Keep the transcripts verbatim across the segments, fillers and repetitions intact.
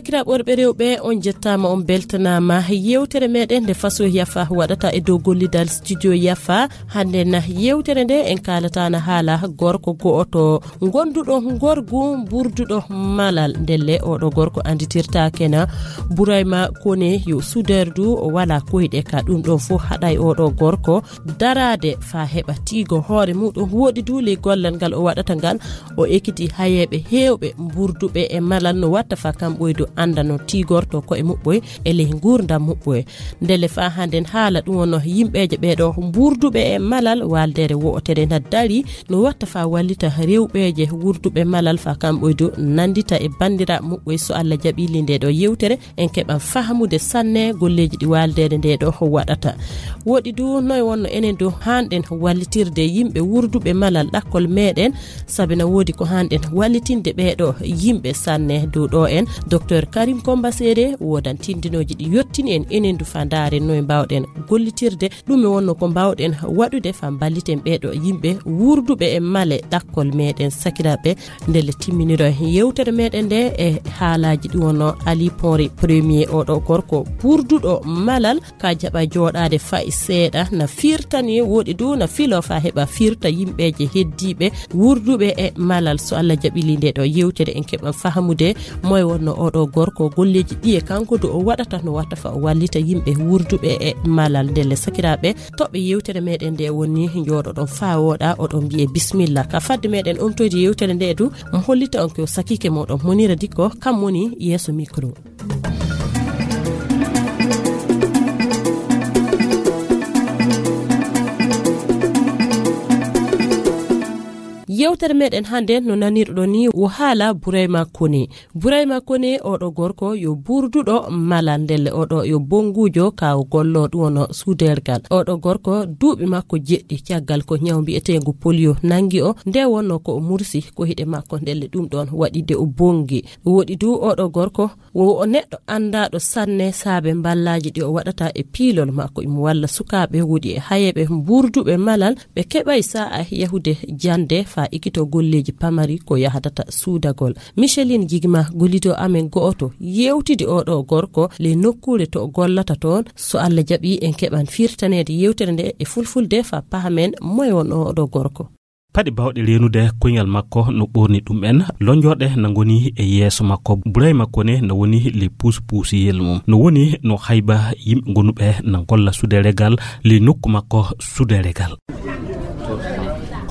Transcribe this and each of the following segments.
Sakiraaɓe worɓe rewɓe, on njettaama, on mbeltanaama. Yeewtere meɗen nde Faso Yafa waɗata e dow gollidal Studio Yafa. Hannde na yeewtere nde en kaalata na haala gorko go'oto gonduɗo ngorgu mburduɗo malal. Ndelle oɗo gorko annditirtaake na Burayma Kone, yo suderdu, o wala koyɗe ka. Ɗum ɗon fof haɗay oɗo gorko daraade faa heɓa tiigo hoore muɗum. Woɗi du ley gollal ngal o waɗata ngal, o ekiti hayeeɓe heewɓe mburduɓe e malal no watta faa kam ɓoydo annda no tiigorto ko'e muɓɓoy e ley nguurndam muɓɓoy. Ndelle faa hannden haala ɗum wonno yimɓeeje ɓeeɗo mburduɓe e malal, waaldeere wo'otere na dari no watta faa wallita rewɓeeje wurduɓe malal faa kam ɓoydo nanndita e banndiraaɓe muɓɓoy. So Alla jaɓii ley ndee ɗoo yeewtere, en keɓan fahamude sanne golleeji ɗi waaldeere ndee ɗoo waɗata. Woɗi du noy wonno enen du haanɗen wallitirde yimɓe wurduɓe malal ɗakkol meɗen, sabi na woodi ko haanɗen wallitinde ɓeeɗo yimɓe sanne. Dow ɗoo en, Docteur Karim Komba Seede woodan tindinooji ɗi yottini en, enen du faa ndaaren noy mbaawɗen gollitirde. Ɗum e wonno ko mbaawɗen waɗude faa mballiten ɓeeɗo yimɓe wurduɓe e male ɗakkol meɗen. Sakiraaɓe, ndelle timminiro en yeewtere meɗen nde e haalaaji ɗi wonno Ali Ponri Premier, oɗo gorko burduɗo malal, ka jaɓa jooɗaade fay seeɗa, na firtani woɗi du na filo faa heɓa firta yimɓeeje heddiiɓe wurduɓe e malal. So Alla jaɓii ley ndee ɗoo yeewtere, en keɓan fahamude moy wonno oɗo gorko, golleeji ɗi e kanko du o waɗata no watta faa o wallita yimɓe wurduɓe e malal. Ndelle sakiraaɓe, toɓɓe yeewtere meɗen nde woni njooɗoɗon faa wooɗa, oɗon mbiye bismilla. Ka fadde meɗen omtoyde yeewtere nde du, mo hollita on ko sakiike moɗon Monira Dikko, kam woni yeeso micro. Yeewtere meɗen hannde no nanirɗon ni o haala Burayma Kone. Burayma Kone, oɗo gorko yo burduɗo malal, ndelle oɗo yo bonnguujo ka o gollo ɗum wonno suudergal. Oɗo gorko duuɓi makko jeɗɗi caggal ko ñaw mbi'eteengu polio nangi o, nde wonno ko o mursi ko hiɗe makko, ndelle ɗum ɗon waɗi de o bonngi. Woɗi du oɗo gorko wo o neɗɗo anndaaɗo sanne saabe mballaaji ɗi o waɗata e piilol makko. Imo walla sukaaɓe woɗi e hayeeɓe mburduɓe malal, ɓe keɓay sa'a yahude jannde faa ikito golleeji pamari ko yahdata suudagol. Micheline Jigma, gollido amen go'oto, yeewtidi oɗo gorko ley nokkuure to o gollata toon. So Alla jaɓii, en keɓan firtaneede yeewtere nde e fulfulde faa pahamen moye won oɗo gorko. Paɗe baawɗe reenude koyngal makko no ɓoorni ɗum en, lonjorɗe na ngoni e yeeso makko. Burayma Kone na woni ley puus-puusiyel mum. No woni no hayba yimɓe gonuɓe na golla suuderegal ley nokku makko suuderegal.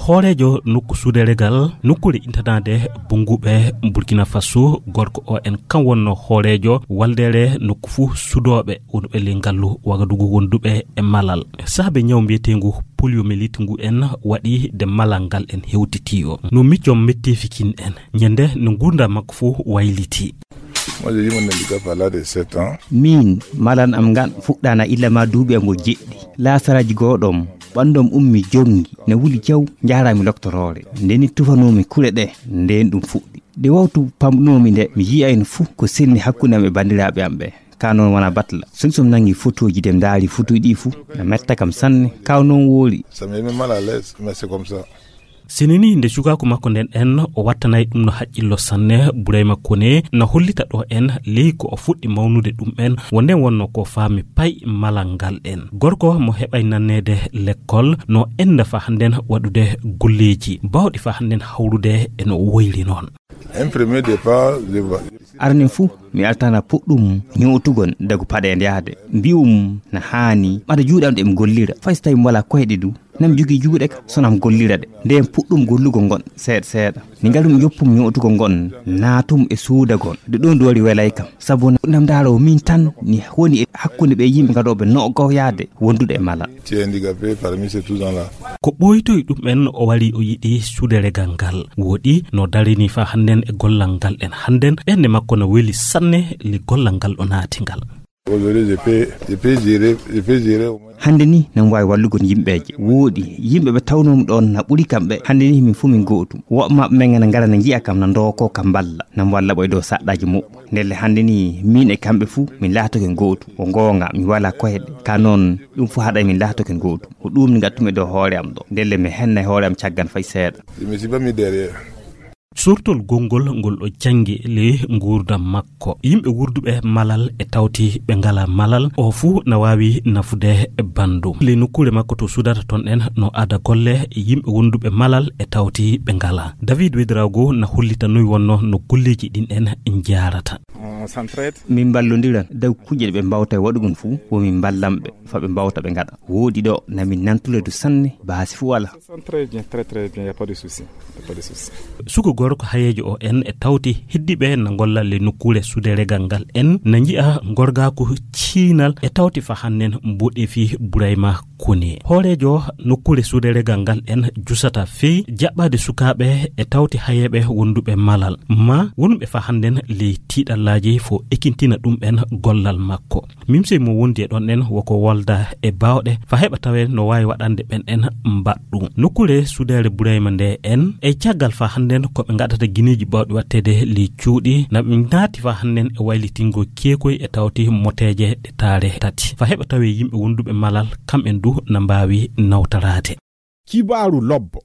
Hooreejo nokku suuderegal, nokkuure intanaade bonnguɓe Burkina Faso, gorko o en kan wonno hooreejo waldeere nokku fuu sudooɓe wonɓe ley ngallu Wagadugu wonduɓe e malal. Saabe ñaw mbiyeteengu poliomyélite ngu en waɗi de malal ngal en hewtiti o. No miccom metteefi kin en. Ñande no nguurndam makko fuu wayliti. Moi, j'ai eu mon handicap à l'âge de sept ans. Min, malan am ngan fuɗɗana illa ma duuɓi am o jeɗɗi. Laasaraji gooɗom, ɓanndom ummi jonngi, ne wuli jaw, njaarami loktoroore. Ndeni tufanoomi kuɗe ɗe, nden ɗum fuɗɗi. Nde wawtu pamɗunoomi nde, mi yi'ayno fuu ko selni hakkunde am e banndiraaɓe am ɓe. Ka noon wona batla. Solution nangi fotooji de, mi ndaari fotooji ɗi fuu, na metta kam sanne. Ka noon woori. Ça me met mal à l'aise, mais c'est comme ça. Sinini nde cukaaku makko nden en, o wattanay ɗum no haqqillo sanne. Burayma Kone na hollita ɗo en ley ko o fuɗɗi mawnude ɗum en, wo nden wonno ko faami pay malal ngal en. Gorko mo heɓay nanneede lekkol no enda faa hannden waɗude golleeji baawɗi faa hannden hawrude e no o woyri noon. Un premier départ, je vois. Arani fuu, mi altana puɗɗum ñootugol dagu paɗe nde yahde. Mbi'um na haani, ɓada juuɗe am ɗe mi gollira. Fay so tawi mi walaa koyɗe du, na mi jogii juuɗe ka, so na mi gollira ɗe. Nden puɗɗum gollugol ngon, seeɗa seeɗa. Ni ngalum joppum ñootugol ngon, naatum e suudagol. Nde ɗon du wari welay kam. Sabu na mi ndaaroo min tan, ni woni e hakkunde ɓe yimɓe gaɗooɓe no o gaw yahde, wondude e mala. Tu es handicapé parmi ces tous gens-là. Ko ɓooytoy ɗum en o wari o yiɗi suuderegal ngal. Woɗi no darini faa hannden e gollal ngal en. Hannden ɓernde makko no weli sanne li gollal ngal o naati ngal. Aujourd'hui, je peux, je peux gérer, je peux gérer au moins. Hannde ni, na mi waawi wallugol yimɓeeje. Wooɗi, yimɓe ɓe tawnoomi ɗoon na ɓuri kamɓe. Hannde ni, min fof min gootum. Woɓɓe maɓɓe men na ngara na njiya kam, na ndookoo kam mballa. Na mi walla ɓoy dow saɗɗaaji muɓɓo. Ndelle hannde ni, min e kamɓe fuu, min laatoke gootum. Ko goonga, mi walaa koyɗe. Ka noon, ɗum fof haɗay min laatoke gootum. Ko ɗum ni ngattu-mi e dow hoore am ɗo. Ndelle mi hennay hoore am caggal fay seeɗa. Je me suis pas mis derrière. Sortol gonngol ngol o janngi le nguurndam makko. Yimɓe wurduɓe malal e tawti ɓe ngala malal, o fuu na waawi nafude banndum. Le nokkuure makko to sudata toon en no ada golle yimɓe wonduɓe malal e tawti ɓe ngala. David Wedrago na hollita noy wonno no golleeji ɗin en njaarata. On s'entraide. Min mballondiran dow kuuje ɗe ɓe mbawta e waɗugol fuu, wo min mballan ɓe fa ɓe mbawta ɓe ngaɗa. Wooɗi ɗo na min nantude du sanne, baasi fuu wala. Très bien, très, très bien, y a pas de souci. Y a pas de souci. Suka gorko hayeejo o en e tawti heddiɓe na golla le nokkuure suude regal ngal en na nji'a gorgaaku ciinal e tawti fa hannen mboɗeefi Burayma Kone. Hooreejo nokkuure suude regal ngal en jusata fey jaɓɓaade sukaaɓe e tawti hayeeɓe wonduɓe malal ma wonɓe fa hannden ley tiiɗallaaji fo ekintina ɗum en gollal makko. Mimsey mo wondi e ɗon en woko wolda e baawɗe fa heɓa tawe no waawi waɗande ɓen en mbaɗɗu. Nokkuure suudeere Burayma nde en e caggal fa hannden ko ɓe ngaɗata gineeji baawɗi waɗteede ley cuuɗi na ɓe naati fa hannden e waylitingo keekoy e tawti moteeje ɗe taare tati. Fa heɓa tawe yimɓe wonduɓe malal kam en du na mbaawi nawtaraade. Kibaaru lobbo.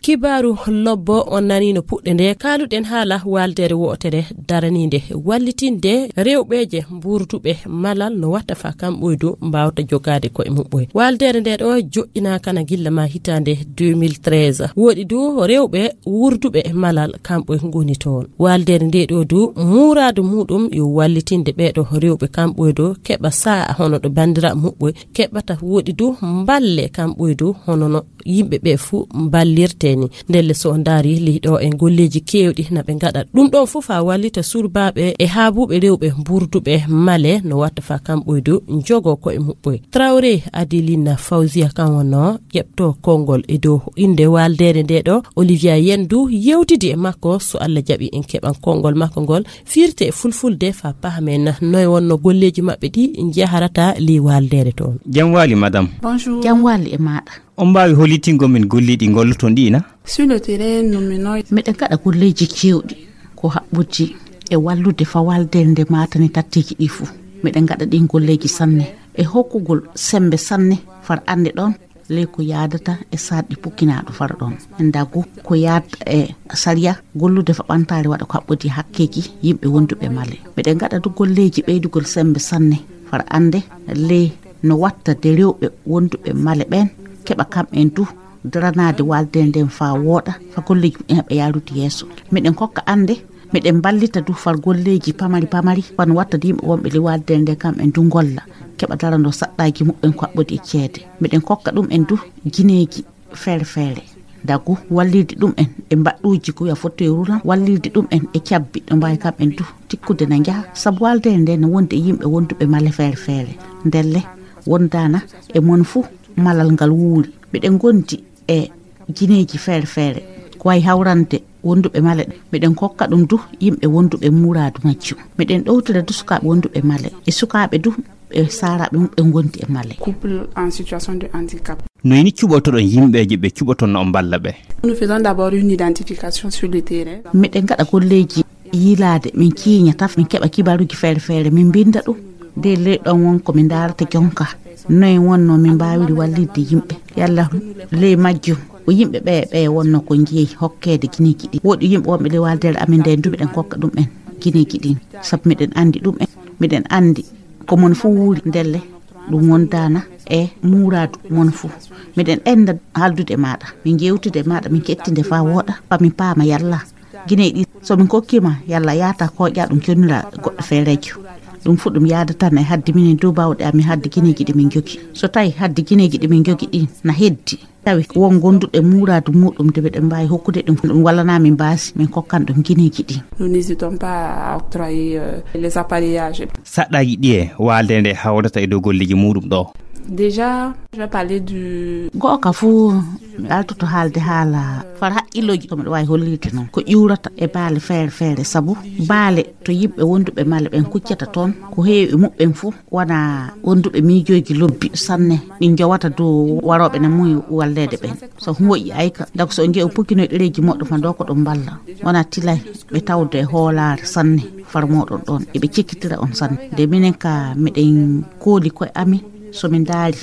Kibaaru lobbo on nani no puɗɗe nde kaaluɗen haala waldere wotere daraninde wallitinde rewɓeje mburduɓe malal no watta fa kamɓoydu mbawta jogaade koye muɓɓoye. Waldere nde ɗo joɗɗinaka na gilla ma hitande deux mille treize. Woɗi du rewɓe wurduɓe malal kamɓe ngoni toon. Waldere nde ɗo du muradu muɗum yo wallitinde ɓeɗo rewɓe kamɓoydu keɓa sa'a hono ɗo bandira muɓɓoye keɓata. Woɗi du mballe kamɓoydu hono no yimɓe ɓe fuu mballirte ni. Ndelle so o ndaari ley ɗo en golleeji keewɗi na ɓe ngaɗa ɗum ɗon fof haa wallita surbaaɓe e haabuɓe rewɓe mburduɓe male no watta fa kamɓoydu njogo koye muɓɓoye. Traoré Adeline Fawziya kan wonno ƴeɓto konngol e dow innde waaldeere nde ɗo. Olivia Yen du yewtidi e makko, so Allah jaɓi en keɓan konngol makko ngol firte e fulfulde fa pahamen noy wonno golleeji maɓɓe ɗi njaharata ley waaldeere toon. Jam waali, madam. Bonjour. Jam waali e maaɗa. On mbaawi hollitingol min golleeji ɗi ngolloton ɗi na? Sur le terrain, nous menons. Miɗen ngaɗa golleeji keewɗi ko haɓɓude e wallude fa waaldeere nde maatani tatteeji ɗi fuu. Miɗen ngaɗa ɗin golleeji sanne e hokkugol semmbe sanne far annde ɗon ley ko yaadata e sarɗi pukkinaaɗo far ɗon. En dagu ko yaadata e sariya gollude fa ɓantaare waɗa ko haɓɓodi hakkeeji yimɓe wonduɓe male. Miɗen ngaɗa du golleeji ɓeydugol semmbe sanne far annde ley no watta de rewɓe wonduɓe male ɓen keɓa kamɓen du daranaade waalde nden faa wooɗa fa golleeji muɓɓen heɓa yaarude yeeso. Miɗen kokka annde, miɗen mballita du far golleeji pamari pamari wano watta de yimɓe wonɓe ley waalde nde kamɓen du ngolla keɓa darando saɗɗaaji muɓɓen ko haɓɓodi e ceede. Miɗen kokka ɗum en du gineeji feere feere. Dagu wallirde ɗum en e mbaɗɗuuji ko wiya fauteuil roulant, wallirde ɗum en e cabbi ɗo mbaawi kamɓen du tikkude na njaha. Sabu waalde nde no wondi e yimɓe wonduɓe male feere feere. Ndelle wondaana e mon fuu malal ngal wuuri. Miɗen ngondi e gineeji feere feere ko wayi hawrande wonduɓe male ɗe. Miɗen kokka ɗum du yimɓe wonduɓe muuraadu majjum. Miɗen ɗowtira du sukaaɓe wonduɓe male e sukaaɓe du e saaraaɓe mum ɓe ngondi e male. Couple en situation de handicap. No ini cuɓotoɗon yimɓeeje ɓe cuɓoton no on mballa ɓe? Nous faisons d'abord une identification sur le terrain. Miɗen ngaɗa golleeji yiilaade, min ciiña taf, min keɓa kibaruuji feere feere, min mbinnda ɗum. Nde ley ɗon won ko min ndaarata jonka. Noye wonno min mbaawiri wallirde yimɓe? Yalla ley majjum o yimɓe ɓe, ɓe wonno ko njeyi hokkeede gineeji ɗi? Woɗi yimɓe wonɓe ley waaldeere amen nde du miɗen kokka ɗum en gineeji ɗin. Sabu miɗen anndi ɗum en, miɗen anndi ko mon fuu wuuri ndelle. Ɗum wondaana e muuraadu mon fuu. Miɗen enda haaldude e maaɗa, min njeewtida e maaɗa, min kettinde faa wooɗa, faa min paama yalla gineeji ɗi so min kokkiima yalla yaata kooƴa ɗum connira goɗɗo feereejo. Ɗum fuu ɗum yaada tan e haddi minen dow baawɗe amin haddi gineeji ɗi min njogi. So tawi haddi gineeji ɗi min njogi ɗin na heddi, tawi won gonduɗo e muuraadu muuɗum de miɗen mbaawi hokkude ɗum, ɗum wallanaa min baasi, min kokkan ɗum gineeji ɗin. Nous n'hésitons pas à octroyer, euh, les appareillages. Saɗɗaaji ɗiye waalde nde hawrata e dow golleeji muuɗum ɗo? Déjà, je vais parler du... Go'o ka fuu mi altoto haalde haala far haqqillooji ko miɗo waawi hollirde noon. Ko ƴuurata e baale feere feere, sabu baale to yimɓe wonduɓe male ɓen kuccata toon, ko heewi e muɓɓen fuu wona wonduɓe miijooji lobbi sanne, ɗi njowata dow warooɓe na muuyi walleede ɓen. So moƴƴi ayka, dago so on njeyi on pukkinoy ɗereeji moɗɗo fa ndo ko ɗum mballa. Wona tilay ɓe tawde e hoolaare sanne far mooɗon ɗon, eɓe cekkitira on sanne. Nde minen ka miɗen kooli koye amin, so min ndaari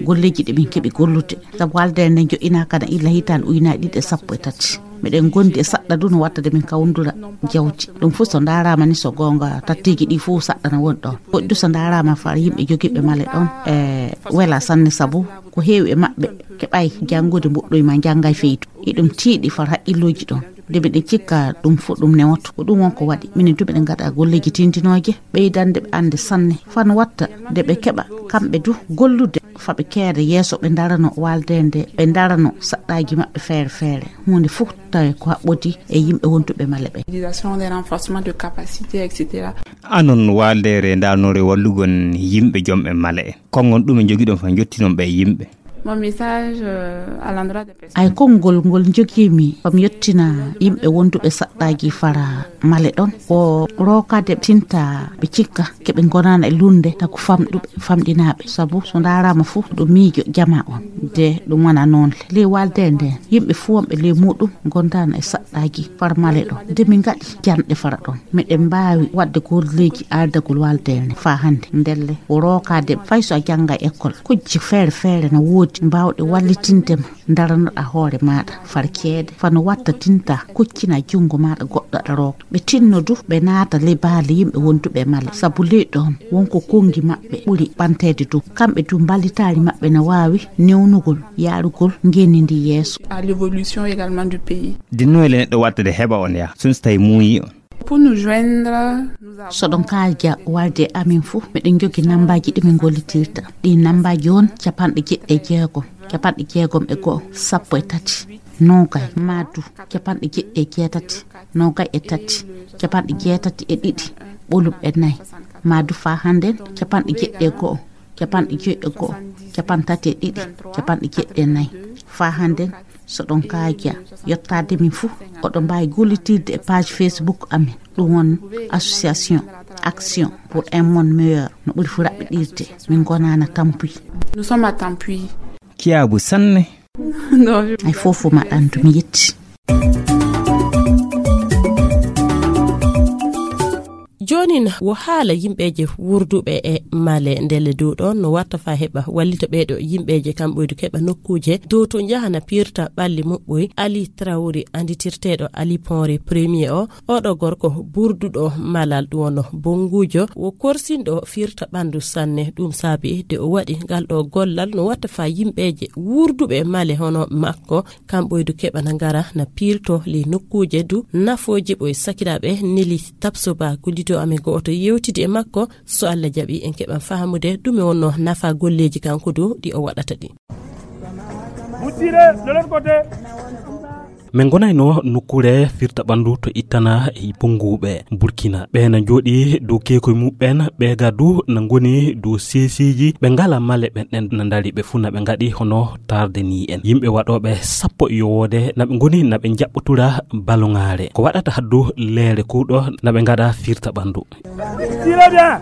golleeji ɗi min keɓi gollude. Sabu waldeende nde joƴƴinaaka na illa hitaande ujunaaji ɗiɗi e sappo e tati. Miɗen ngondi e saɗɗa du no watta de min kawndura jawdi. Ɗum fof so ndaaraama ni, so goonga, tatteeji ɗi fof saɗɗa na woni ɗoon. Woɗɗi du so ndaaraama far yimɓe jogiiɓe male ɗoon, e wela sanne, sabu ko heewi e maɓɓe keɓay janngude, mboɗɗoy ma njanngay feydu. Iɗum tiiɗi far haqqillooji ɗoon. Nde miɗen cikka ɗum fof ɗum newoto. Ko ɗum won ko waɗi. Minen du miɗen ngaɗa golleeji tintinooje, ɓeydande ɓe annde sanne. Fano watta nde ɓe keɓa kamɓe du gollude, fa ɓe keeda yeeso, ɓe ndarano waldeende, ɓe ndarano saɗɗaaji maɓɓe feere feere. Huunde fof tawi ko haɓɓodi e yimɓe wonduɓe male ɓe. Utilisation des renforcements de capacité, et cetera. Anon waldeere ndarnore wallugon yimɓe jomɓe male. Konngol ɗume njogiɗon fa njottinon ɓe yimɓe? Mon message, euh, à l'endroit des personnes. Ay konngol ngol njogiimi, fam yettina yimɓe wonduɓe saɗɗaaji fara male ɗon, ko rookade tinta ɓe cikka keɓe ngonana e lunde, tagu famɗuɓe, famɗinaaɓe. Sabu so ndaaraama fof ɗo miijo jama on, de ɗum wona noon. Ley walde nde, yimɓe fof wonɓe ley muɗum ngondana e saɗɗaaji fara male ɗon. De min ngaɗi janɗe fara ɗon. Miɗen mbaawi waɗde golleeji aardagol waldeende faa hannde. Ndelle, ko rookaade fay so a jannga e école. Kujje feere feere na woodi mbaawɗe wallitinde ma, ndaranoɗa hoore maaɗa far ceede, fano watta tinta, kuccina junngo maaɗa goɗɗo aɗa rooka. Ɓe tinno du, ɓe naata ley baali yimɓe wonduɓe e male. Sabu ley ɗoon, won ko konngi maɓɓe ɓuri ɓanteede du. Kamɓe du, mballitaari maɓɓe na waawi newnugol yaarugol ngenndi ndi yeeso. À l'évolution également du pays. Dinnoyle neɗɗo watta de heɓa on ya, sun so tawi muuyi on. Pour nous joindre, nous avons. So ɗon kaaja walde amin fuu, miɗen njogi nambaaji ɗi min gollitirta. Ɗi nambaaji on: capanɗe jeɗɗi e jeegom, capanɗe jeegom e go'o, sappo e tati, noogay, maa du capanɗe jeɗɗi e jeetati, noogay e tati, capanɗe jeetati e ɗiɗi, ɓolum e nayi, maa du faa hannden, capanɗe jeɗɗi e go'o, capanɗe joyi e go'o, capanɗe tati e ɗiɗi, capanɗe jeɗɗi e nayi. Faa hannden, so ɗon kaaja yottaade min fuu, oɗon mbaawi gollitirde e page Facebook amin. Ɗum won Association Action pour un Monde Meilleur, no ɓuri fu raɓɓiɗirde. Min ngonaana tampuy. Nous sommes à Tampuy. Kiyaabu sanne. Non, je. Ay fof fof ma ɗandu mi yetti. Joonin wo haala yimɓeeje wurduɓe e male ndelle dow ɗoon no watta faa heɓa wallita ɓeeɗo yimɓeeje kam ɓoydu keɓa nokkuuje dow to njahana piirta ɓalli muɓɓoy. Ali Traoré, annditirteeɗo Ali Ponre Premier o, oɗo gorko burduɗo malal ɗum wonno bonnguujo, wo korsinɗo fiirta ɓanndu sanne. Ɗum saabi de o waɗi ngal ɗo gollal no watta faa yimɓeeje wurduɓe male hono makko kam ɓoydu keɓa na ngara na piirto ley nokkuuje du nafooji ɓoy. Sakiraaɓe, Neli Tapsoba, gollido amen go'oto, yewtidi e makko. So Allah jaɓi, en keɓan fahamude ɗume wonno nafa golleeji kanko du ɗi o waɗata ɗi. Min ngonayno nokkuure firta ɓanndu to ittana e bonnguuɓe Burkina. Ɓe na njooɗi dow keekoy muɓɓen, ɓe ga du na ngoni dow seesiiji. Ɓe ngala male ɓen ɗen na ndari ɓe fuu na ɓe ngaɗi hono tarde ni en. Yimɓe waɗooɓe sappo e yowoode na ɓe ngoni na ɓe njaɓɓotura baloŋaare. Ko waɗata haddu leere kuuɗo na ɓe ngaɗa firta ɓanndu. Tirez bien.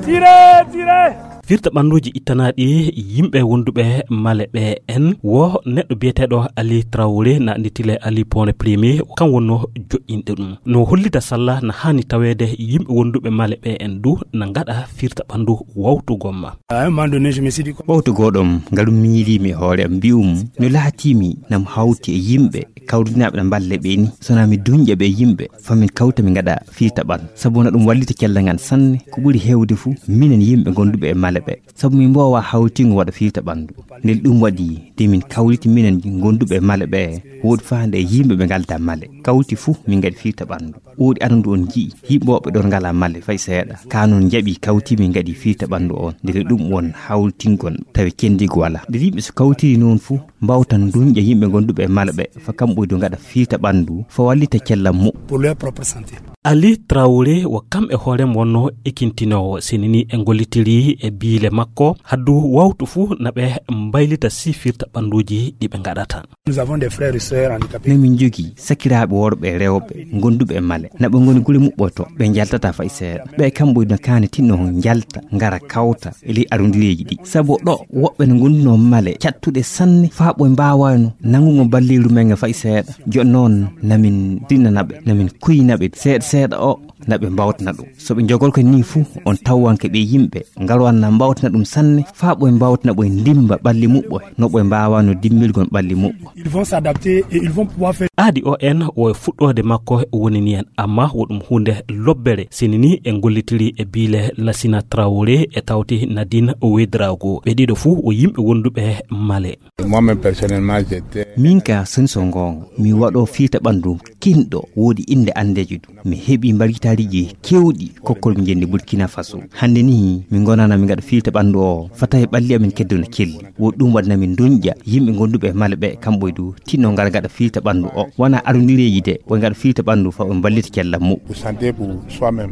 Tirez, tirez. Firta ɓannduuji ittanaaɗi yimɓe wonduɓe male ɓe en wo neɗɗo biyeteeɗo Ali Traoré, na annditile Ali Pone Premier, kan wonno joƴƴinɗe ɗum. No hollita salla na haani taweede yimɓe wonduɓe male ɓe en du na ngaɗa firta ɓanndu wawtu gomma. À un moment donné, je me suis dit, ɓawto gooɗom ngaɗum miñiliimi e hoore am, mbi'um no laatiimi nam hawti e yimɓe kawrinaaɓe na mballe ɓe ni, so na mi duñƴa ɓe yimɓe, fa min kawta min ngaɗa firta ɓanndu. Sabu na ɗum wallita cellal ngal sanne, ko ɓuri heewde fuu minen yimɓe gonduɓe e male ɓe. Sabu min mboowa hawtingo waɗa firta ɓanndu. Ndel ɗum waɗi de min kawriti minen gonduɓe e male ɓe, woodi faande e yimɓe ɓe ngalda male. Kawti fuu min ngaɗi firta ɓanndu. Woodi arandu on nji'i yimɓe woɓɓe ɗon ngala male fay seeɗa. Ka non njaɓi kawti min ngaɗi firta ɓanndu on. Ndele ɗum won hawtingol tawi cendigo wala. Nde yimɓe so kawtiri noon fuu, mbawtan duñƴa yimɓe gonduɓe e mala ɓe, fa kamɓoydu ngaɗa firta ɓanndu, fa wallita cellal muɓɓo. Pour leur propre santé. Ali Traoré wo kam e hoorem wonno ekintinoowo, senini e ngollitiri e biile makko, haddu wawtu fuu na ɓe mbaylita si firta ɓannduuji ɗi ɓe ngaɗata. Nous avons des frères et sœurs handicapés. Min min njogii sakiraaɓe worɓe e rewɓe gonduɓe e male. Na ɓe ngoni gure muɓɓoto, ɓe njaltata fay seeɗa. Ɓe kamɓoydu na kaani tinno njalta, ngara kawta e ley arondireeji ɗi. Sabu ɗo woɓɓe no ngondunoo male cattuɗe sanne, faa ɓoy mbaawayno nanngugo balleeru men nga fay seeɗa. Jooni noon, na min tinnana ɓe, na min kuyna ɓe seeɗa seeɗa o. na ɓe mbawtana ɗum. So ɓe njogol ko nii fuu, on tawanke ɓe yimɓe ngalwanna mbawtana ɗum sanne, faa ɓoy mbawtana ɓoy ndimba ɓalli muɓɓoy, no ɓoy mbaawano dimbilgon ɓalli muɓɓo. Ils vont s'adapter et ils vont pouvoir faire. Aadi o en o e fuɗɗoode makko woni ni en, amma wo ɗum huunde lobbere, sini ni en gollitiri e biile Lasina Traoré e tawti Nadine Ouedraogo. Ɓe ɗiɗo fuu wo yimɓe wonduɓe Male. Moi-même, personnellement, j'étais. Min ka soni so ngoonga, mi waɗo fiita ɓanndu kinɗo, woodi innde anndeejo ɗum. Mi heɓi mbargitaariji keewɗi kokkol mi njenndi Burkina Faso. Hannde ni, mi ngonana mi ngaɗa fiita ɓanndu o, fata e ɓalli amin keddo no kelli. Wo ɗum waɗna min duñƴa yimɓe gonduɓe e Male ɓe, kamɓe du, tinno ngar ngaɗa fiita ɓanndu o. Wona arundireeji de, wo ngaɗa fiita ɓanndu fa o mballita cellal muɓɓo. Vous sentez pour soi-même.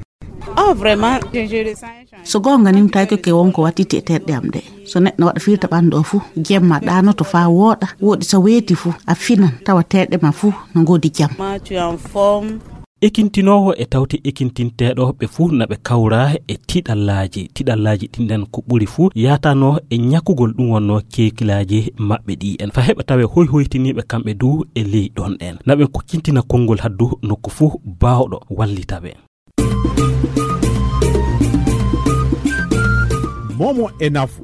Oh, vraiment, je, je ressens un changement. So goonga ni, mi tawi ko ke wonko wattiti e terɗe am ɗe. So neɗɗo waɗa fiita ɓanndu o fuu, jemma ɗaanoto faa wooɗa, woɗi so weeti fuu, a finan, tawa terɗe ma fuu no ngoodi jam. Ma, tu es en forme. Ekintinoowo e tawti ekintinteeɗo ɓe fuu na ɓe kawra e tiɗallaaji. Tiɗallaaji ɗin ɗen ko ɓuri fuu yaatano e ñakugol ɗum wonno keekilaaji maɓɓe ɗi en. Fa heɓa tawe hoy hoytiniiɓe kamɓe du e ley ɗon ɗen. Na ɓen ko kintina konngol haddu nokku fuu baawɗo wallita ɓe. Momo e nafu.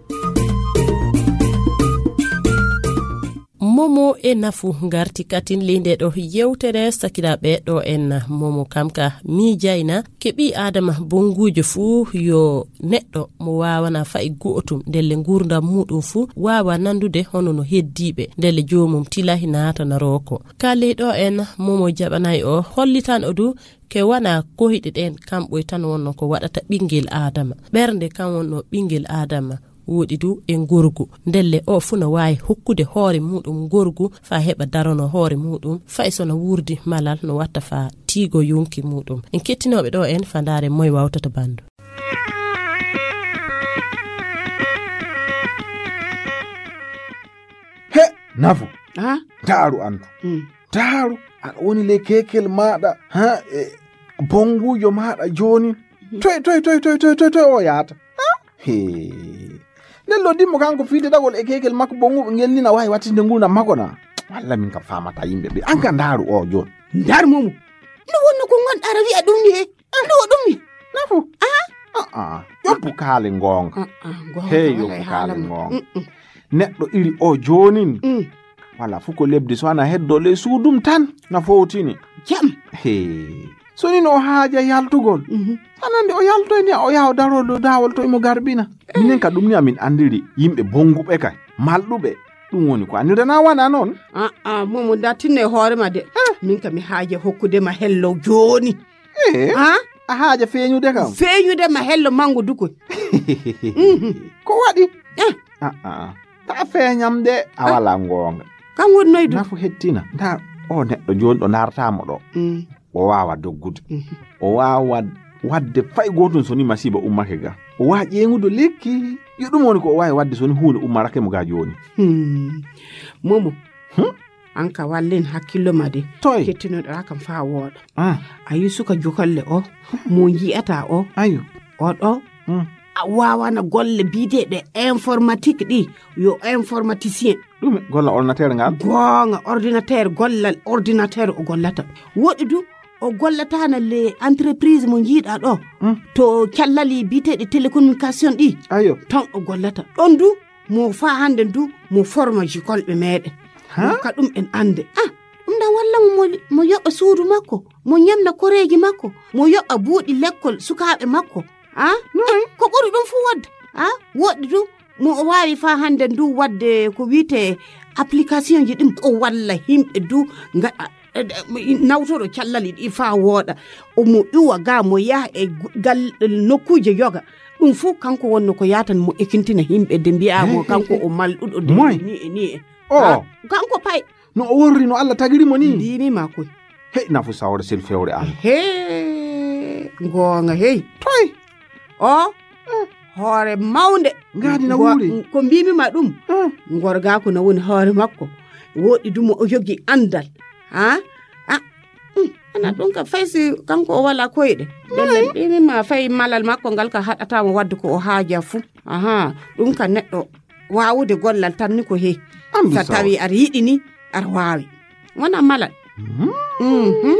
Momo e nafu ngarti katin ley nde ɗo yewtere sakiraaɓe ɗo en. Momo kam ka miijayna ke ɓii Aadama bonnguujo fuu yo neɗɗo mo waawana fa'i go'otum ndelle nguurndam muuɗum fuu waawa nandude hono no heddiiɓe ndelle joomum tilahi naatana rooko. Ka ley ɗo en Momo jaɓanay o hollitan o du ke wana kohiɗe ɗen kamɓoy tan wonno ko waɗata ɓinngel Aadama. Ɓernde kan wonno ɓinngel Aadama. Woɗi du e ngorgu. Ndelle o fuu no waawi hokkude hoore muuɗum ngorgu faa heɓa darono hoore muuɗum, fay so no wuurdi malal no watta faa tiigo yonki muuɗum. En kettinooɓe ɗo en faa ndaare moy wawtata banndu. He, nafu. Ha? Daaru antu. Mm. Daaru, aɗa woni ley keekel maaɗa, ha, e bonnguujo maaɗa jooni. Mhm. Toy, toy, toy, toy, toy, toy, toy o yaata? Ha? He. Nden lo dimmo kanko fiide ɗagol e keekel makko bonnguɓe ngel ni na waawi wattinde nguurndam makko na? Walla min kam faamata yimɓe ɓe. An ka daaru o jooni. Ndar Momo. No wonno ko ngonɗa ara wi'a ɗum ni he? No ɗum ni? Nafu. Ah? Ah, ah. Yoppu kaale ngoonga. Ah, ah, ngoonga. Hey, wala yoppu e kaale haala ma. Ngoonga. Mm, mm. Neɗɗo iri o joonin. Mm. Wala fuu ko lebdi so ana heddo ley suudum tan na fowtini. Jam. Hey. So ni no o haaja yaltugol. Mhm. Anandi o yaltoyni o yaha o daro dow daawol to imo garbina. Eh. Minen ka ɗum ni amin andiri yimɓe bonguɓe kay. Malɗuɓe. Ɗum woni ko anndirana wana noon. Ah, ah, Momo, nda tinno e hoore ma de. Eh. Min ka mi haaja hokkude ma hello jooni. Eh. Ah? A haaja feeñude kam? Feeñude ma hello mango dukoy. Mhm. Ko waɗi? Eh. Ah, ah. Ta feeñam de, a wala ngoonga. Kam woni noydu? Nafu hettina. Nda o neɗɗo jooni ɗo ndarata mo ɗo. Mm. O waawa doggude. Mhm. O waawa waɗde fay gootum so ni masiiba ummake ga. O waawa ƴeeŋude lekki. Yo ɗum woni ko o waawi waɗde so ni huunde ummarake mo ga jooni. Hmm. Momo. Hmm? An ka wallin hakkillo ma de. Toy? Kettinoɗaa kam faa wooɗa. Ah. A yi suka jokalle o, mo yi'ata o. Ayo. O ɗo. Hmm. A waawana golle biyeteeɗe informatique ɗi. Yo informaticien. Ɗume? Golla ordinateur ngal? Goonga, ordinateur, gollal ordinateur o gollata. Woɗi du, o gollata na le entreprise mo njiiɗa ɗo. Hmm. To callali biyeteeɗe télécommunication ɗi. Ayo. Ton o gollata. Ɗon du, mo faa hannde du, mo forma jikolɓe meɗen. Ha? Mo ka ɗum en annde. Ah, ɗum ɗan walla mo, mo, mo yoɓa suudu makko, mo ñamna koreeji makko, mo yoɓa buuɗi lekkol sukaaɓe makko. Ah? Noy? Eh, ko ɓuri ɗum fu waɗde. Ah, woɗɗi du, mo o waawi faa hannde ndu waɗde ko wiyetee application ji ɗum. O walla yimɓe du, ngaɗa, eh, eh, nawtoro callali ɗi faa wooɗa. Omo iwa ga, mo yaha e gu-, gal, nokkuuje yoga. Ɗum fof kanko wonno ko yaatan mo ekintina yimɓe de mbiya mo kanko o malɗuɗo de ni e ni e. O. Ha? Kanko pay. No o worri no Allah tagiri mo ni? Mbimi ma koy. Hey, nafu sawre sil fewre an. He, ngoonga hey. Toy. O, hoore mawnde. Ngaadi na wuuri. Ko mbimi ma ɗum. Hmm. Ngorga ko na woni hoore makko. Woɗi dum o jogi andal. Ha? Ah, hmm, ana ɗum ka fay si kanko o wala koyɗe. Ɗen mbimi ma fay malal makko ngal ka haɗata mo wadde ko o haaja fu. Aha, ɗum ka neɗɗo waawude gollal tan ni ko he. Andu sa tawi aɗa yiɗi ni, aɗa waawi. Wona malal. Mhm. Mhm.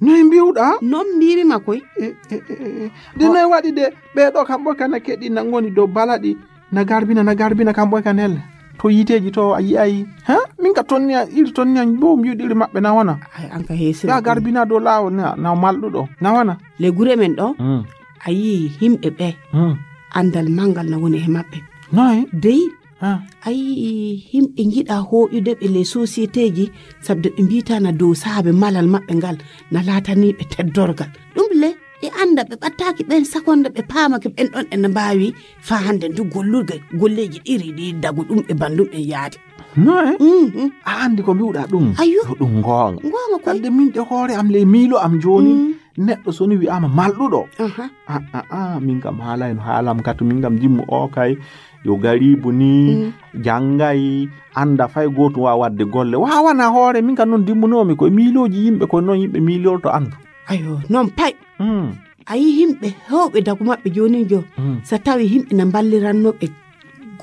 Noy mbi'uɗaa? Non mbi'irima koy. E, e, e, e. De noy waɗi de, ɓee ɗoo kam ɓoy ka na keɗi na ngoni dow balaɗi, na garbina, na garbina kam ɓoy ka nelle. To yiiteeji to a yi'ay. Ha? Min ka tonni a, iri tonni an bo mbi'uɗi iri maɓɓe na wana. Ay, an ka heesira. Ga garbina dow laawol na, na malɗuɗo. Na wana. Le gure men ɗo, Mm. a yi'i himɓe ɓe, Mm. andal mangal na woni e maɓɓe. Noy? Dey, Ha? a yi'i himɓe ngiɗa hooƴude ɓe les sociétéji, sabde ɓe mbiitana dow saabe malal maɓɓe ngal, na laatani ɓe teddorgal. Ɗum le, ɓe anda ɓe ɓattaaki ɓen sakonde, ɓe paamake ɓen ɗon en mbaawi faa hande ndu gollurgal, golleeji ɗiri ɗi dagu ɗum e bandum en yaade. Noy? Mhm. A andi ko mbi'uɗaa ɗum? Ayyo. Yo ɗum ngoonga. Ngoonga koy. Ande min de hoore am le miilo am jooni, Mm. neɗɗo so ni wi'aama malɗuɗo. Aha. A, a, a, min kam haalay no haalam katu, min kam dimmu o kay, yo garibu ni, Mm. janngay, anda fay gootum waawa waɗde golle. Waawana hoore, min kam non dimmunoomi koye miilooji yimɓe, koye non yimɓe miilorto andu. Ayo, non pay. Mm. A yi'i himɓe heewɓe dagu maɓɓe joonin jo, Mm. so tawi himɓe na mballirannoo ɓe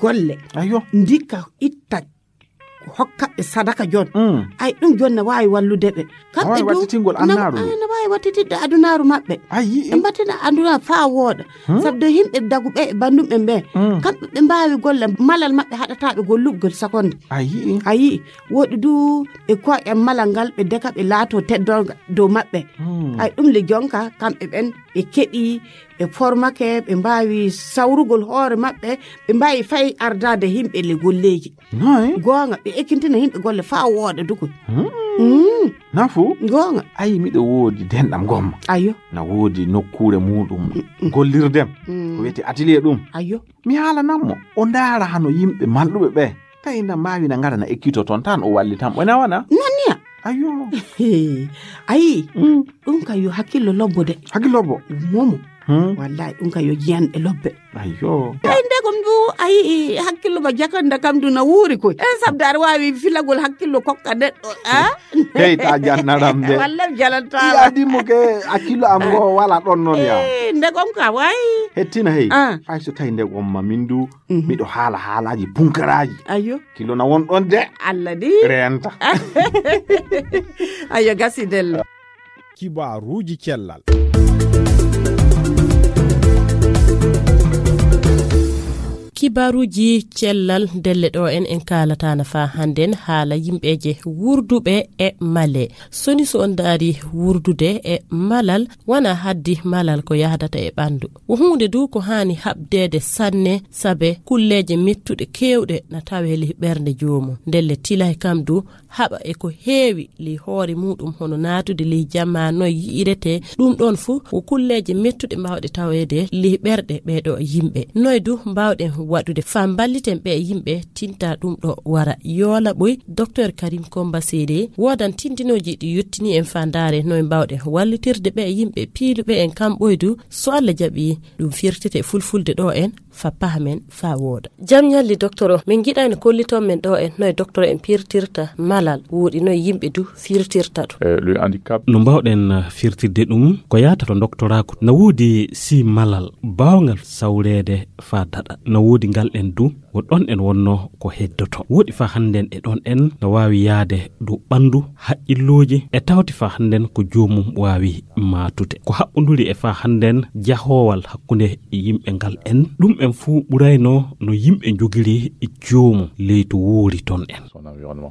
golle, Ayo. ndikka itta hokka ɓe sadaka jon. Mm. Ay, ɗum jon na waawi wallude ɓe. Kamɓe Waawi du, wattitingol na, annaaru ndu. ay, na waawi wattitidde adunaaru maɓɓe. A yi'i? Ɓe mbattina adunaaru faa wooɗa. Hmm? Sabde himɓe dagu ɓe e bandum ɓe ɓe. Mm. Kamɓe ɓe mbaawi golle malal maɓɓe haɗataa ɓe gollugol sakonde. A yi'i? A yi'i? Woɗi du ɓe koƴa malal ngal ɓe deka ɓe laatoo teddorga dow maɓɓe. Mm. Ay, ɗum le jonka kamɓe ɓen ɓe keɗi, ɓe formake, ɓe mbaawi sawrugol hoore maɓɓe, ɓe mbaawi fay ardaade himɓe le golleeji. Noy? Goonga, ɓe ekkintina himɓe golle faa wooɗa dukoy. Hmm. Mm. Nafu? Goonga. Ayi, miɗo woodi denɗam gomma. Ayo. Na woodi nokkuure muuɗum Mm, mm. gollirdem. Mm. Ko wiyetee atelier ɗum. Ayo. Mi haalanam mo. O ndaara hano yimɓe malɗuɓe ɓe. Tawi na mbaawi na ngara na ekkito toon tan o wallitam. O na wana? Non niya. Ayo. Hee. Ayi. Mm. Ɗum ka yo hakkillo lobbo de. Hakkillo lobbo? Momo. Hmm. Wallahi, ɗum ka yo jiyanɗe lobbe. Ayo. Ay, ndegom du, ayi, hakkillo ma jakanda kam du na wuuri koy. En sabda aɗa waawi filagol hakkillo kokka neɗɗo, a? Hey, ta jannaram de. Walla mi jalantaama. Iya, dimmo ke hakkillo am ngo wala ɗon non ya. Eh, ndegom ka, way. Hettina hey. Ah. Fay so tawi ndegom ma min du, Mhm. miɗo haala haalaaji punkaraaji. Ayo. Kilo na won ɗon de. Allah di. Reenta. Ayo, gasi dello. Kibaaruuji cellal. Kibaaruuji cellal ndelle ɗo en, en kaalata na faa hannden haala yimɓeeje wurduɓe e male. Soni so on ndaari wurdude e malal, wana haddi malal ko yahdata e ɓanndu. Wo huunde du ko haani haɓdeede sanne, sabe kulleeje mettuɗe keewɗe na tawee ley ɓernde joomum. Ndelle tilay kam du haɓa e ko heewi ley hoore muuɗum, hono naatude ley jamaa noy yi'iretee. Ɗum ɗoon fuu ko kulleeje mettuɗe mbaawɗe taweede ley ɓerɗe ɓee ɗoo yimɓe. Noy du mbaawɗen waɗude faa mballiten ɓee yimɓe tinta ɗum ɗo wara yoola ɓoy? Docteur Karim Komba Seede, woodan tindinooji ɗi yottini en faa ndaare noy mbaawɗen wallitirde ɓee yimɓe piiluɓe en kam ɓoy du, so Alla jaɓi, ɗum firtete fulfulde ɗo en, fa pahamen, fa wooɗa. Jam ñalli, docteur o. Min ngiɗaani kolliton men ɗo en noy docteur en pirtirta malal, woɗi noy yimɓe du firtirta ɗum. Eh, le handicap. No mbaawɗen, eh, firtirde ɗum ko yaata to doktoraaku. Na woodi si malal baawngal sawreede faa daɗa. Na woodi ngal en du, wo ɗon en wonno ko heddoto. Woɗi faa hannden e ɗon en no waawi yaade dow ɓanndu, haqqillooji, e tawti faa hannden ko joomum waawi maatude. Ko haɓɓunduri e faa hannden jahoowal hakkunde yimɓe ngal en. Ɗum en fuu ɓurayno no yimɓe njogiri joomum leydi woori ton en.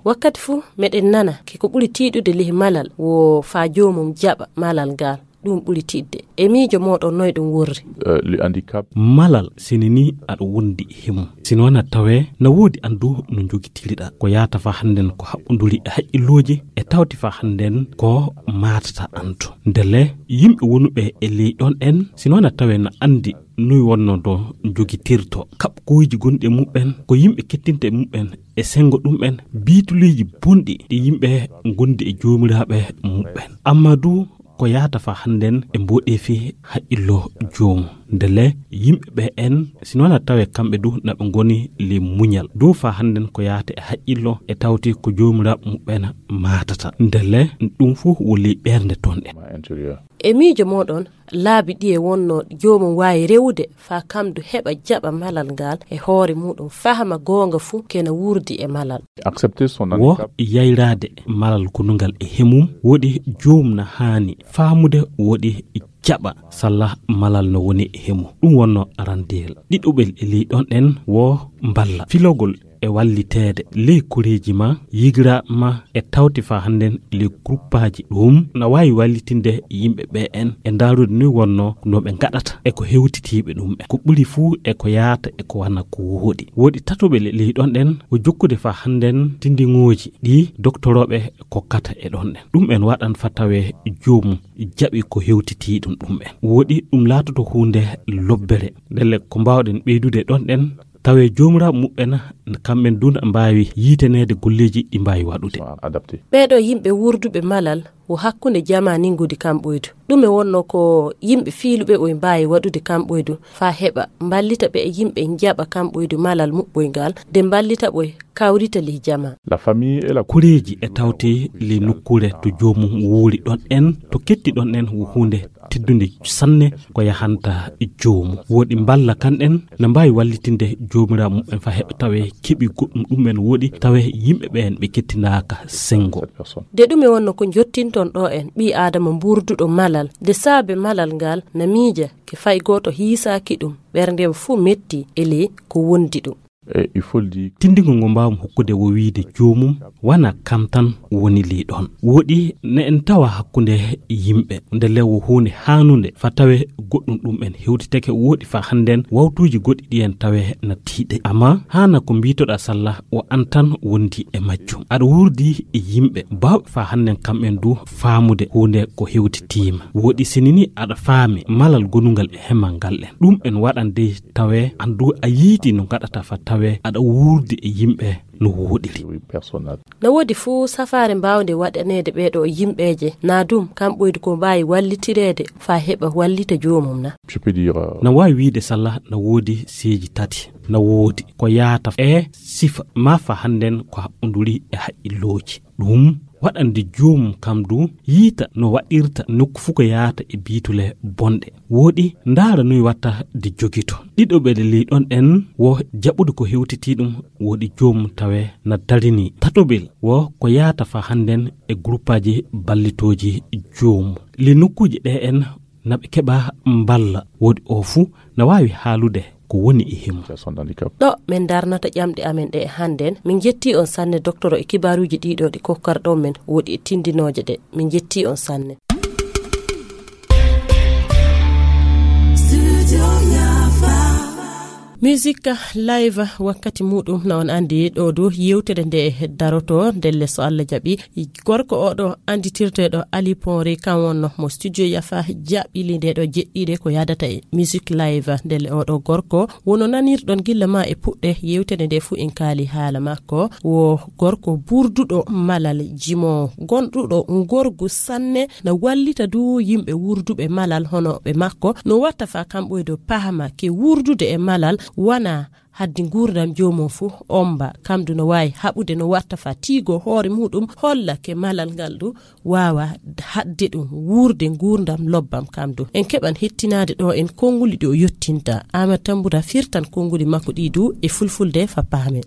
Wakkati fuu meɗen nana ke ko ɓuri tiiɗude ley malal wo faa joomum jaɓa malal ngal. Ɗum ɓuri tiiɗde. E miijo mooɗon noy ɗum worri? Eh, le handicap. Malal sini ni aɗa wondi e mum. Sino na tawee na woodi an du no njogitiriɗa. Ko yaata faa hannden ko haɓɓunduri e haqqillooji e tawti faa hannden ko maatata an to. Ndelle yimɓe wonuɓe e ley ɗon en, sino na tawee na anndi noy wonno do njogitirto. Kaɓkoyji gonɗi e muɓɓen, ko yimɓe kettinta e muɓɓen e senngo ɗum'en, biituleeji bonɗi ɗi yimɓe ngondi e joomiraaɓe muɓɓen. Amma du ko yaata faa hannden e mboɗeefi haqqillo joomum. Ndelle yimɓe ɓe en, sino na tawee kamɓe du na ɓe ngoni ley muñal. Dow faa hannden ko yaata e haqqillo e tawti ko joomiraaɓe muɓɓen maatata. Ndelle ɗum fuu wo ley ɓernde ton en. E miijo mooɗon, laabi ɗiye wonno joomum waawi rewude faa kamdu heɓa jaɓa malal ngal e hoore muɗum, fahama goonga fuu kena wuurdi e malal. Wo yayraade malal gonungal e hemum, woɗi joomum na haani faamude woɗi jaɓa salla malal no woni e hemum. Ɗum wonno arandeyel. Ɗiɗuɓel e ley ɗon ɗen wo mballa filogol e walliteede ley koreeji ma, yigira ma e tawti faa hannden ley gruppaaji. Ɗum na waawi wallitinde yimɓe ɓe en e ndaarude ni wonno no ɓe ngaɗata e ko hewtitiiɓe ɗum ɓe. Ko ɓuri fuu e ko yaata e ko wana ko wooɗi. Woɗi tatoɓe ley ɗon ɗen o jokkude faa hannden tindiŋooji ɗi doktorooɓe kokkata e ɗon ɗen. Ɗum en waɗan faa tawee joomum jaɓi ko hewtitii ɗum ɗum en. Woɗi ɗum laatoto huunde lobbere. Ndelle ko mbaawɗen ɓeydude ɗon ɗen tawee joomiraaɓe muɓɓen kamɓen duu na mbaawi yiitaneede golleeji ɗi mbaawi waɗude. Ɓeeɗo yimɓe wuurduɓe malal wo hakkunde jamaa ninngudi kamɓoydu. Ɗume wonno ko yimɓe fiiluɓe ɓoy mbaawi waɗude kamɓoydu faa heɓa mballita ɓe e yimɓe njaɓa kamɓoydu malal muɓɓoyngal de mballita ɓoy kawrita ley jamaa? Koreeji e tawti ley nokkuure to joomum wuuri ɗon en, to ketti ɗon en wo huunde teddunde sanne ko yahanta joomum. Woɗi mballa kan ɗen na mbaawi wallitinde joomiraaɓe muɓɓen faa heɓa tawee keɓi goɗɗum ɗum en woɗi tawee yimɓe ɓeen ɓe kettinaaka senngo. De ɗume wonno ko njottinton ɗo en ɓii aadama mbuurduɗo malal de saabe malal ngal na miija ke fay gooto hiisaaki ɗum, ɓerndem fuu metti e ley ko wondi ɗum. Tinndingol ngo mbaawmi hokkude wo wiide joomum wana kam tan woni ley ɗon. Woɗi ne en tawa hakkunde yimɓe nde le wo huunde haanunde faa tawee goɗɗum ɗum en hewtitake woɗi faa hannden wawtuuji goɗɗi ɗi en tawee na tiiɗe. Amma haana ko mbiitoɗaa salla wo an tan wondi e majjum. Aɗa wuurdi e yimɓe baawɓe faa hannden kamɓen duu faamude huunde ko hewtitiima. Woɗi sinini aɗa faami malal gonungal e hemal ngal en. Ɗum en waɗan dey tawee an duu a yiiti no ngaɗata faa tawee aɗa wuurdi e yimɓe no wooɗiri. No woodi fuu safaare mbaawnde waɗaneede ɓeeɗo yimɓeeje na dum kamɓoydu ko mbaawi wallitireede faa heɓa wallita joomum na? Na waawi wiide salla na woodi seeji tati. Na woodi ko yaata e sifa maa faa hannden ko haɓɓunduri e haqqillooji. Ɗum waɗande joomum kam duu yiita no waɗirta nokku fuu ko yaata e biitule bonɗe. Woɗi ndaara noy watta de jogito. Ɗiɗoɓel ley ɗon ɗen wo jaɓude ko hewtitii ɗum woɗi joomum tawee na darinii. Tatoɓel wo ko yaata faa hannden e gruppaaji ballitooji joomum. Ley nokkuuji ɗe en na ɓe keɓa mballa woɗi o fuu na waawi haalude ko woni e himo. Ɗo min darnata ƴamɗe amen ɗe e hannden. Min njettii on sanne doktoro e kibaaruuji ɗiɗo ɗi kokkarɗon men woɗi e tinndinooje ɗe. Min njettii on sanne. Musique live wakkati muɗum na on andi ɗo du yewtere nde daroto ndelle so Allah jaɓi. Gorko oɗo anditirteɗo Ali Ponre kan wonno mo studio yafa jaɓɓili nde ɗo jeɗɗiɗe ko yadata e musique live ndelle oɗo gorko wono nanirɗon gilla ma e puɗɗe yewtere nde fuu en kaali haala makko wo gorko burduɗo malal jimo gonɗuɗo ngorgu sanne na wallita du yimɓe wurduɓe malal hono ɓe makko no watta fa kamɓoydo pahama ke wurdude e malal wana haddi nguurndam joomum fuu omba kamdu no waawi haɓude no watta fa tiigo hoore muɗum holla ke malal ngal du waawa haɗde ɗum wuurde nguurndam lobbam kamdu en keɓan hettinaade ɗo en konnguli ɗi o yottinta ama tambura firtan konnguli makko ɗi du e fulfulde fa paamen.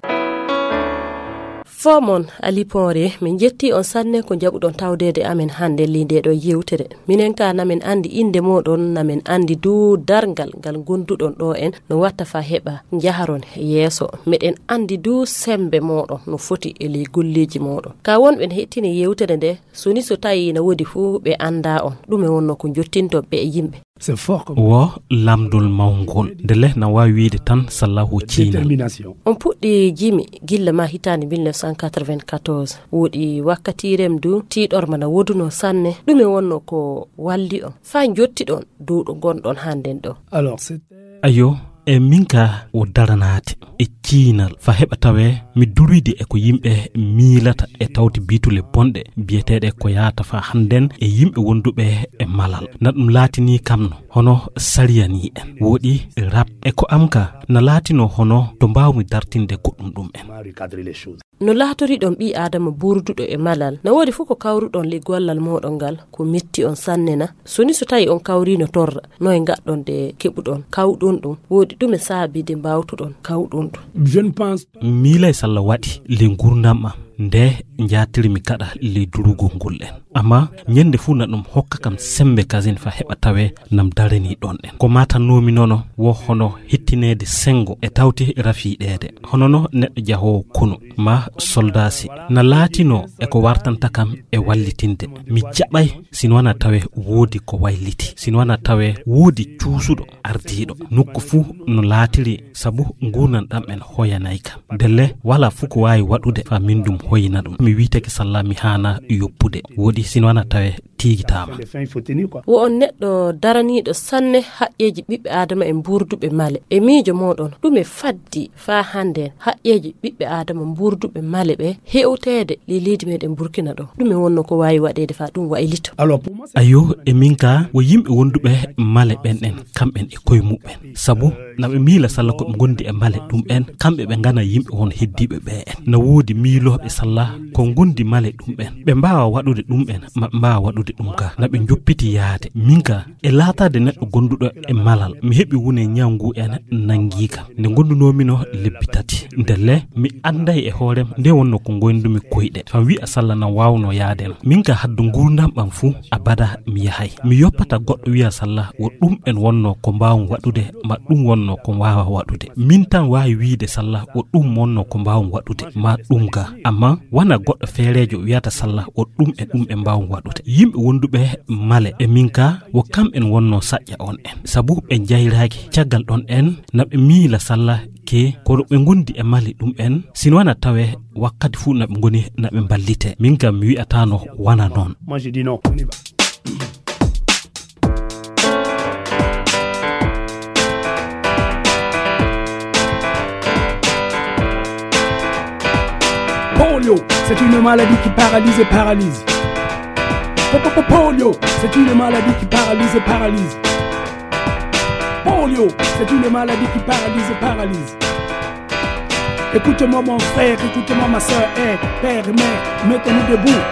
Fomon aliponre min jetti on sanne ko jaɓuɗon tawdeede amen hannde li nde ɗo yewtere. Minen ka namin anndi innde mooɗon namin anndi duu darngal ngal ngonduɗon ɗo en no watta fa heɓa njaharon yeeso. Meɗen anndi duu semmbe mooɗon no foti e ley golleeji mooɗon. Ka wonɓe ne heɗtini yewtere nde soni so tawi na woodi fuu ɓe annda on ɗume wonno ko jottinton ɓe e yimɓe. Wo lamdol mawngol nde leh na waawi wiide tan sallahu ciina. On puɗɗi jimi gilla ma hitaande mille neuf cent quatre-vingt-quatorze woɗi wakkati rem du tiiɗorma na woduno sanne ɗume wonno ko walli on fa jottiɗon duuɗo gonɗon hannden ɗo? Ayo E min ka o daranaade e ciinal fa heɓa tawee mi duroydi e ko yimɓe miilata e tawti biitule bonɗe biyeteeɗe ko yaata fa hannden e yimɓe wonduɓe e malal. Na ɗum laatinii kam no hono sariyanii en. Wooɗi rap e ko am ka na laatinoo hono to mbaawmi dartinde goɗɗum ɗum en. No laatoriɗon ɓii Aadama buurduɗo e malal, na woodi fof ko kawruɗon ley gollal mooɗon ngal, ko metti on sanne na? So ni so tawi on kawriino torra, no e ngaɗɗon de keɓuɗon, kawɗon ɗum, woodi ɗume saabi de mbaawtuɗon kawɗon ɗum? Je ne pense Miilay salla waɗi ley ngurdam am, nde njaatirmi gaɗa ley durugol ngol en. Amma ñande fuu na ɗum hokka kam sembe kasin fa heɓa tawe nam darani ɗon en. Ko maatannoomi nono wo hono hittineede sengo e tawti rafiiɗeede. Hono no neɗɗo jahoowo konu ma soldaasi na laatinoo e ko wartanta kam e wallitinde. Mi jaɓay sino wana tawe woodi ko wayliti, sino wana tawe woodi cuusuɗo ardiiɗo. Nokku fuu no laatiri sabu nguurnan ɗam en hoyanay kam. Ndelle wala fuu ko waawi waɗude fa min ɗum hoyina ɗum. Mi wiitake salla mi haana yoppude. Woodi sino wana tawe tiigitaama. Wo on neɗɗo daraniiɗo sanne haqqeeji ɓiɓɓe Aadama e mbuurduɓe male. E miijo mooɗon, ɗume faddi faa hannden haqqeeji ɓiɓɓe Aadama mbuurduɓe male ɓe hewteede ley leydi meɗen Burkina ɗo? Ɗume wonno ko waawi waɗeede faa ɗum waylito? Ayo, e min ka wo yimɓe wonduɓe male ɓen en, kamɓen e koye muɓɓen. Sabu na ɓe miila salla ko ɓe ngondi e male ɗum en, kamɓe ɓe ngana yimɓe won heddiiɓe ɓe en. Na woodi miilooɓe salla ko ngondi male ɗum en. Ɓe mbaawa waɗude ɗum en, ma ɓe mbaawa waɗude ɗum ka. Na ɓe njoppiti yaade. Min ka, e laataade neɗɗo gonduɗo e malal, mi heɓi wune ñaw ngu en nanngi kam. Nde ngondunoomi no lebbi tati. Ndelle, mi annday e hoorem nde wonno ko ngoyndumi koyɗe. Fam wi'a salla na waawno yaade no. Min ka haddu nguurndam ɓam fuu, abada mi yahay. Mi yoppata goɗɗo wi'a salla wo ɗum en wonno ko mbaawum waɗude, ma ɗum wonno ko mbaawa waɗude. Min tan waawi wiide salla wo ɗum wonno ko mbaawum waɗude, ma ɗum ga. Amma wana goɗɗo feereejo wiyata salla wo ɗum e ɗum e mbaawum waɗude. Yimɓe wonduɓe male e min ka wo kamɓen wonno saƴƴa on en. Sabu ɓe njayraaki caggal ɗon en na ɓe miila salla ke kono ɓe ngondi e mali ɗum en. Sino wana tawe wakkati fuu na ɓe ngoni na ɓe mballite. Min kam mi wi'ataano wana noon. Moi, je dis non. On y va. Polio, c'est une maladie qui paralyse et paralyse. Po- po- po- Polio, c'est une maladie qui paralyse et paralyse. Polio, c'est une maladie qui paralyse et paralyse. Écoute-moi mon frère, écoute-moi ma soeur, hey, père et mère, mettons-nous debout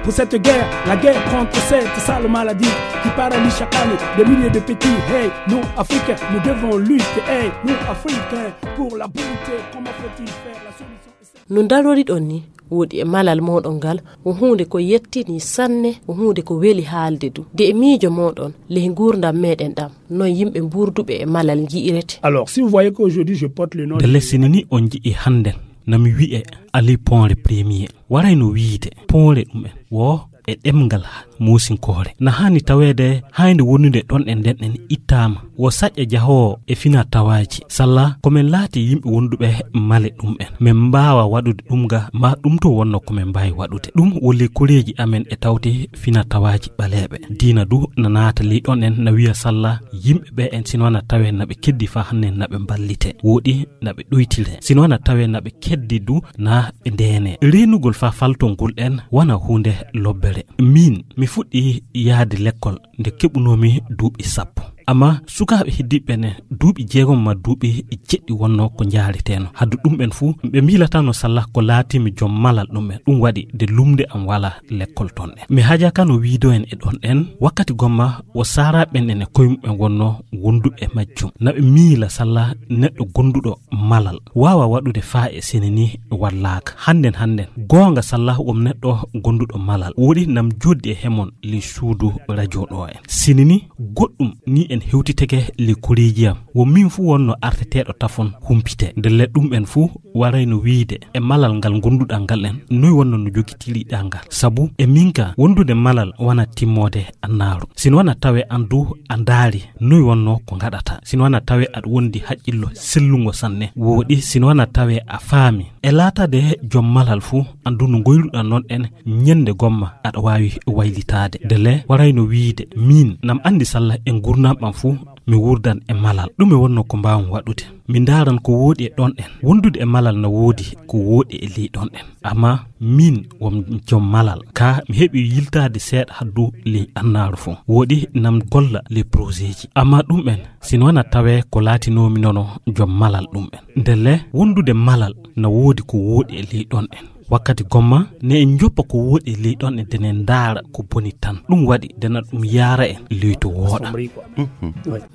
pour cette guerre, la guerre contre cette sale maladie qui paralyse chaque année des milliers de petits. Hey, nous Africains, nous devons lutter. Hey, nous Africains, pour la bonté, comment faut-il faire? La solution est simple. No ndaroriɗon ni, woodi e malal mooɗon ngal, wo huunde ko yettini sanne, wo huunde ko weli haalde du. De e miijo mooɗon, ley nguurndam meɗen ɗam, noy yimɓe mbuurduɓe e malal nji'irete? Alors, si vous voyez qu'aujourd'hui je porte le nom de Ndelle sini ni on nji'i hannden, na mi wi'e Ali Ponre Premier. Waray no wiide, Ponre ɗum en, wo e ɗemngal muusinkoore. Na haani taweede haynde wonude ɗon en nden en ittaama. Wo saƴƴa jahoowo e fina tawaaji. Salla ko men laati yimɓe wonduɓe male ɗum en. Men mbaawa waɗude ɗum ga, ma ɗum to wonno ko men mbaawi waɗude. Ɗum wo lekkoreeji amen e tawti fina tawaaji ɓaleeɓe. Diina du na naata ley ɗon en na wiya salla yimɓe ɓe en sino na tawe na ɓe keddi fa hanne na ɓe mballite. Woɗi na ɓe ɗoytire. Sino na tawe na ɓe keddi du na ɓe ndeene. Reenugol fa faltol ngol en wana huunde lobbere. Min, mi fuɗɗi yahde lekkol nde keɓunoomi duuɓi sappo. Amma sukaaɓe heddiiɓe ne duuɓi jeegom ma duuɓi jeɗɗi wonno ko njaareteno. Haddu ɗum en fuu, ɓe miilatano salla ko laatimi joom malal ɗum en. Ɗum waɗi de lumnde am wala lekkol ton en. Mi hajakano wiido en e ɗon en, wakkati gomma wo saaraaɓe en e koye muɓɓen wonno wonduɓe e majjum. Na ɓe miila salla neɗɗo gonduɗo malal waawa waɗude faa e sene ni wallaaka. Hannden, hannden, goonga salla wom neɗɗo gonduɗo malal. Woɗi nam joddi e hemon ley suudu radio ɗo en. Sini ni goɗɗum ni en hewtitake ley koreeji am. Wo min fuu wonno arteteeɗo tafon humpite. Ndelle ɗum en fuu warayno wiide e malal ngal gonduɗaa ngal en, noy wonno no jogitiriɗaa ngal? Sabu e min ka wondude malal wana timmoode annaaru. Sino wana tawe an du a ndaari noy wonno ko ngaɗata. Sino wana tawe aɗa wondi haqqillo sellungo sanne. Woɗi sino wana tawe a faami. E laatade joom malal fuu, an du no ngoyluɗaa non en ñande gomma aɗa waawi waylitaade. Ndelle warayno wiide, min nam anndi salla e ngurnam am fuu, Mi wuurdan e malal, ɗume wonnoo ko mbaawmi waɗude? Mi ndaaran ko wooɗi e ɗonɗen. Wondude e malal na woodi ko wooɗi e ley ɗonɗen. Amma miin won joom malal, kaa mi heɓi yiltaade seeɗa haddu ley annaaru fof. Wooɗi nam golla ley projet ji. Amma ɗum'en, si no wona tawee ko laatinoomi nono joom malal ɗum'en. Ndelle wondude malal na woodi ko wooɗi e ley ɗonɗen. Wakkati gomma, ne en njoppa ko wooɗi e ley ɗonɗen, de ne en ndaara ko boni tan. Ɗum waɗi de na ɗum yaara en ley to wooɗa.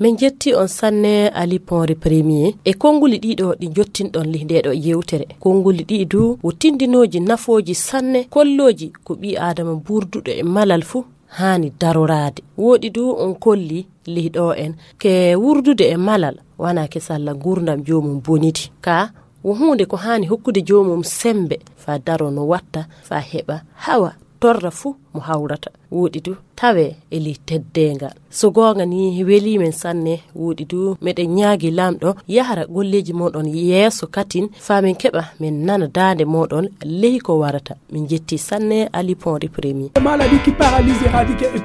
Min njetti on sanne Ali Ponri Premier e konnguli ɗiɗo ɗi njottinɗon li ndeɗo yewtere. Konnguli ɗi du wo tindinooji nafooji sanne kollooji ko ɓii Aadama buurduɗo e malal fuu haani daroraade. Wooɗi du on kolli li ɗo en ke wurdude e malal wana ke salla nguurndam joomum bonidi. Ka wo huunde ko haani hokkude joomum semmbe faa daro no watta faa heɓa hawa torra fuu mo hawrata. Wooɗi du tawee e ley teddeengal. So goonga ni welii men sanne, wooɗi du meɗen ñaagi Laamɗo yahra golleeji mooɗon yeeso katin faa min keɓa min nana daande mooɗon ley ko warata. Min njetti sanne Ali Ponri Premier. Maladie qui paralyse, éradiquée et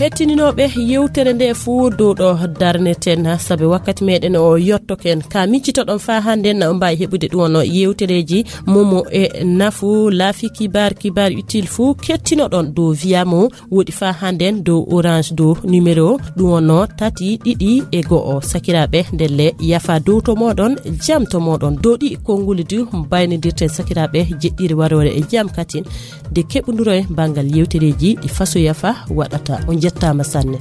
Hettininooɓe yewtere nde fuu dow ɗo darneten, sabe wakkati meɗen o yottoken. Ka miccitoɗon faa hannden, na on mbaawi heɓude ɗum wonno yewtereeji momo e nafu laafi kibar, kibar utile fuu kettinoɗon dow Via Mo, woɗi faa hannden dow Orange dow numéro ɗum wonno tati ɗiɗi e go'o. Sakiraaɓe, ndelle yafa dow to mooɗon, jam to mooɗon. Dow ɗi konnguli du mbaynodirten sakiraaɓe jeɗɗiri waroore e jam katin. De keɓunduro e banngal yewtereeji ɗi fasoya fa waɗata. On njettaama sanne.